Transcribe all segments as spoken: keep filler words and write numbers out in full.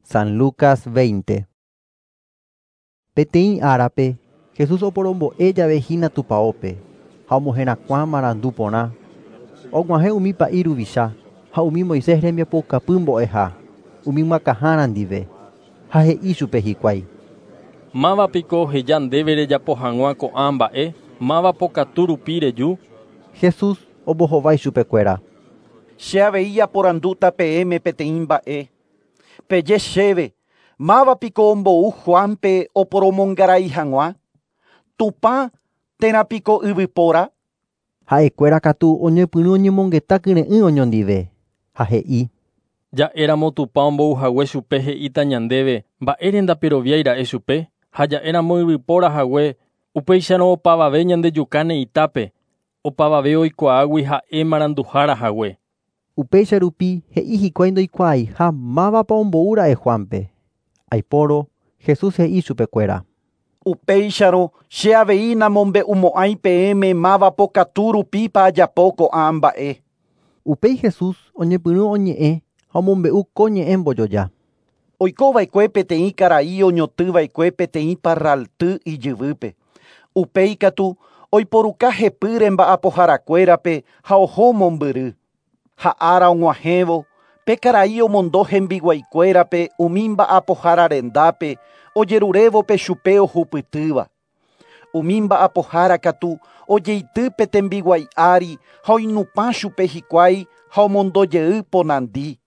San Lucas veinte. Peteĩ árape, Jesús oporombo'e jave hína tupaópe, ha omoherakuã marandu porã. Og̃uahẽ umi pa'i ruvicha ha umi Moisés rembiapoukapy mbo'eha, umi myakãhára ndive, ha he'i chupe hikuái. Mávapiko oheja ndéve rejapo hag̃ua ko'ã mba'e, máva pokatu rupi reju. Jesús ombohovái chupekuéra. Che avei aporandúta peẽme peteĩ mba'e. Peje chéve, mávapiko ombou Juanpe oporomongarai hag̃ua? Tupã térãpiko yvypóra? Ha'ekuéra katu oñepyrũ oñemongeta kyre'ỹ oñondive, ha he'i. Ja'éramo Tupã ombouhague chupe he'íta ñandéve mba'ére ndaperoviáira'e chupe, ha ja'éramo yvypóra hague, upéicharõ opavave ñandejukáne itápe, opavave oikuaágui ha'e maranduhára hague. Upéicha rupi he'i hikuái ndoikuaaiha mávapa omboúra'e Juanpe. Aipórõ Jesús he'i chupekuéra. Upéicharõ che avei namombe'umo'ãi peẽme máva pokatu rupípa ajapo ko'ã mba'e. Upéi Jesús oñepyrũ oñe'ẽ ha omombe'u ko ñe'ẽ mbojoja. Oikova'ekue peteĩ karai oñotỹva'ekue peteĩ parralty ijyvýpe. Upéi katu oiporuka hepýre mba'apoharakuérape ha oho mombyry. Ha ára og̃uahẽvo, pe karai omondo hembiguaikuérape umi mba'apohára rendápe ojerurévo chupe ohupytýva. Umi mba'apohára katu ojeity pe tembiguái ári ha oinupã chupe hikuái ha omondojey ponandi.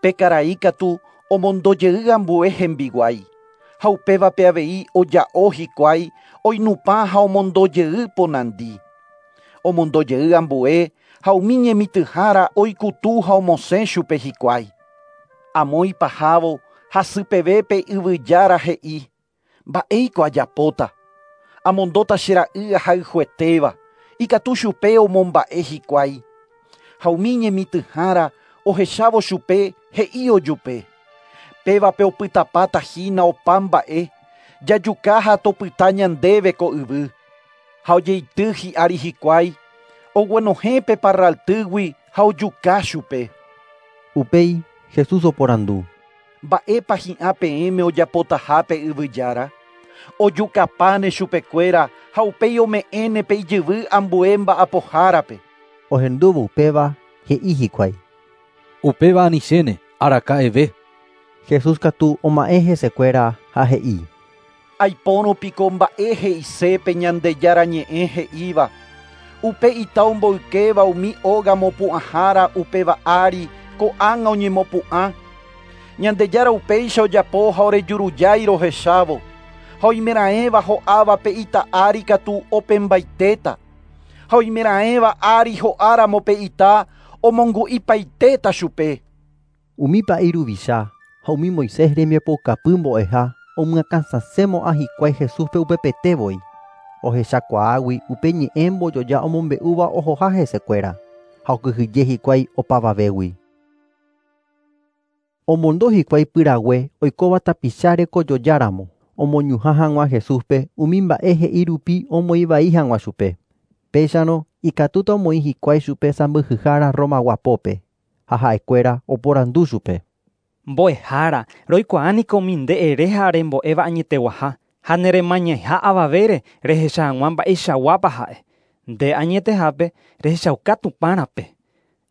Pe karai katu omondojey ambue hembiguái. Ha upévape avei oja'o hikuái oinupã ha omondojey ponandi. Omondojey ambue ha umi ñemitỹhára oikutu ha omosẽ chupe hikuái. Amo ipahávo hasypeve yvyjára he'i, mba'éiko ajapóta. Amondóta che ra'y ahayhuetéva, ikatu chupe omomba'e hikuái. Ha umi ñemitỹhára ohechávo chupe he'i ojupe. Pévape opytapáta hína opa mba'e, jajuka ha topyta ñandéve ko yvy. Ha ojeity hi'ári hikuái, oguenohẽ pe parraltýgui ha ojuka chupe. Upéi Jesús oporandu. Mba'épa hi'ã peẽme ojapotaha pe yvyjára? Ojukapáne chupekuéra ha upéi ome'ẽne pe ijyvy ambue mba'apohárape. Ohendúvo upéva he'i hikuái. Upéva anichéne araka'eve. Jesús katu oma'ẽ hesekuéra ha he'i. Aipórõ piko mba'e he'ise pe Ñandejára ñe'ẽ he'íva. Upe ita omboykéva umi óga mopu'ãhára upéva ári ko'ág̃a oñemopu'ã. Ñandejára upéicha ojapo ha orejurujái rohechávo. Ha oimeraẽva ho'áva pe ita ári katu opembaitéta. Ha oimeraẽva ári ho'áramo pe ita omongu'ipaitéta chupe. Umi pa'i ruvicha ha umi Moisés rembiapoukapy mbo'eha omyakãsasẽmo'ã hikuái Jesúspe upepetévoi. Ohechakuaágui upe ñe'ẽ mbojoja omombe'úva ohoha hesekuéra ha okyhyje hikuái opavavégui. Omondo hikuái pyrague oikóva tapicha rekojojáramo omoñuhã hag̃ua Jesúspe umi mba'e he'i rupi omoĩvai hag̃ua chupe. Péicharõ ikatúta omoĩ hikuái chupe sãmbyhyhára Romaguapópe ha ha'ekuéra oporandu chupe. Mbo'ehára, roikuaániko umi nde ere ha rembo'éva añeteguaha ha neremañaiha avavére rehecha hag̃ua mba'eichaguápa ha'e. Nde añetehápe rehechauka Tupãrape.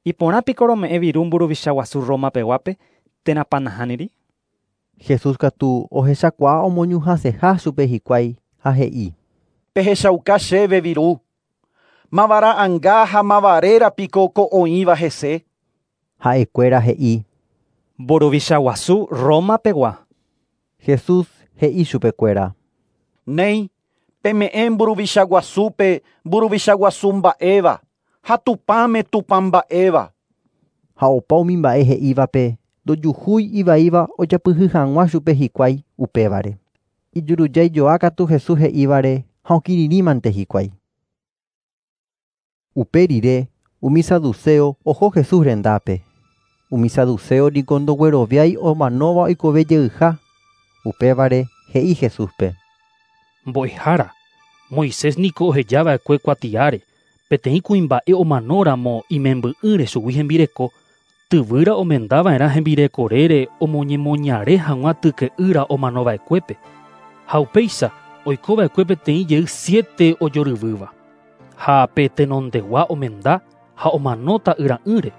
Iporãpiko rome'ẽ viru mburuvicha guasu Roma peguápe térãpa nahániri. Jesús katu ohechakuaa omoñuhãseha chupe hikuái ha he'i. Pehechauka chéve viru. Mavara'ãnga ha mavarérapiko ko oĩva hese. Ha'ekuéra he'i. Mburuvicha guasu Roma pegua. Jesús he'i chupekuéra. Néi, peme'ẽ mburuvicha guasúpe mburuvicha guasu mba'éva, ha Tupãme Tupã mba'éva. Ha opa umi mba'e he'ívape ndojuhúi ivaíva ojapyhy hag̃ua chupe hikuái upévare. Ijurujaijoa katu Jesús he'ívare ha okirirĩmante hikuái. Upe rire umi saduceo oho Jesús rendápe. Umi saduceo niko ndogueroviái omanóva oikove jeyha. Upévare he'i Jesúspe. Mbo'ehára, Moisés niko ohejava'ekue kuatiáre, peteĩ kuimba'e omanóramo imemby'ỹre chugui hembireko, Tyvýra omendava'erã hembirekorére omoñemoñare hag̃ua tyke'ýra omanova'ekuépe. Ha upéicha oikova'ekue peteĩ jey siete ojoryvýva. Ha pe tenondegua omenda ha omano ta'yra'ỹre.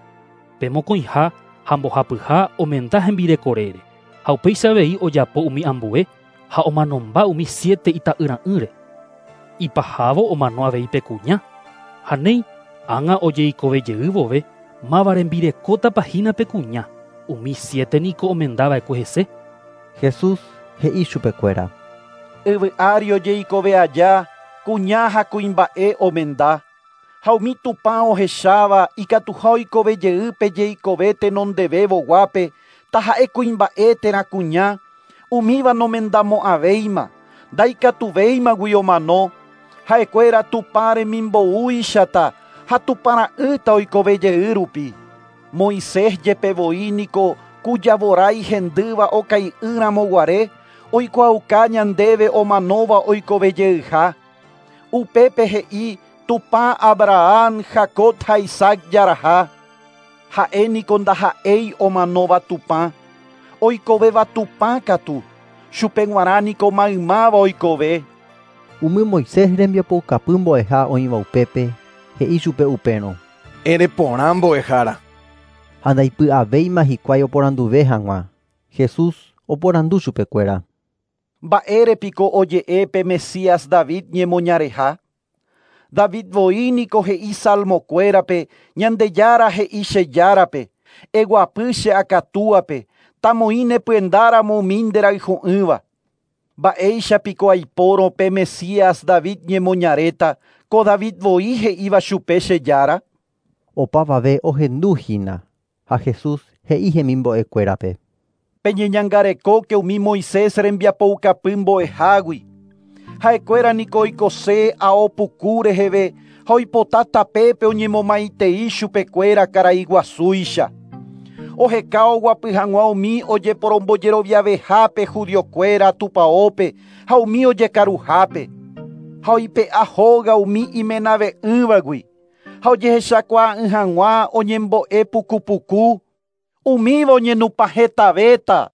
Pe mokõiha ha mbohapyha omenda hembirekorére. Ha upéicha avei ojapo umi ambue ha omanomba umi siete ita'yra'ỹre. Ipahávo omano avei pe kuña. Ha néi ág̃a ojeikovejey vove máva rembirekótapa hína pe kuña. Umi siete niko omendava'ekue hese. Jesús he'i chupekuéra. Yvy ári ojeikove aja kuña ha kuimba'e omenda. Ha umi Tupã ohecháva ikatuha oikovejey pe jeikove tenondevévoguápe taha'e kuimba'e térã kuña umíva nomendamo'ãvéima ndaikatuvéimagui omano ha'ekuéra Tupã remimboúichata ha Tupãra'ýta oikovejey rupi. Moisés jepevoi niko ku javorái hendýva okai'ỹramoguare oikuaauka ñandéve omanóva oikovejeyha. Upépe he'i Tupã Abraham, Jacob ha Isaac jaraha. Ha'e niko ndaha'éi omanóva Tupã, oikovéva Tupã katu, chupe g̃uarã niko maymáva oikove. Umi Moisés rembiapoukapy mbo'eha oĩva upépe he'i chupe upérõ. Ereporã mbo'ehára. Ha ndaipy'avéima hikuái oporanduve hag̃ua. Jesús oporandu chupekuéra. Mba'érepiko oje'e pe Mesías David ñemoñareha? David voi niko he'i salmokuérape Ñandejára he'i che járape, eguapy che akatúape, tamoĩ nepyendáramo umi nderayhu'ỹva. Mba'éichapiko aipórõ pe Mesías David ñemoñaréta, ko David voi he'íva chupe che jára? Opavave ohenduhína ha Jesús he'i hemimbo'ekuérape. Peñeñangarekóke umi Moisés rembiapoukapy mbo'ehágui. Ha'ekuéra niko oikose ao puku reheve ha oipota tapépe oñemomaitei chupekuéra karai guasúicha. Oheka oguapy hag̃ua umi ojeporombojeroviavehápe judiokuéra tupãópe ha umi ojekaruhápe. Ha oipe'a hóga umi imenave'ỹvagui. Ha ojehechakuaa'ỹ hag̃ua oñembo'e pukupuku. Umíva oñenupãhetavéta.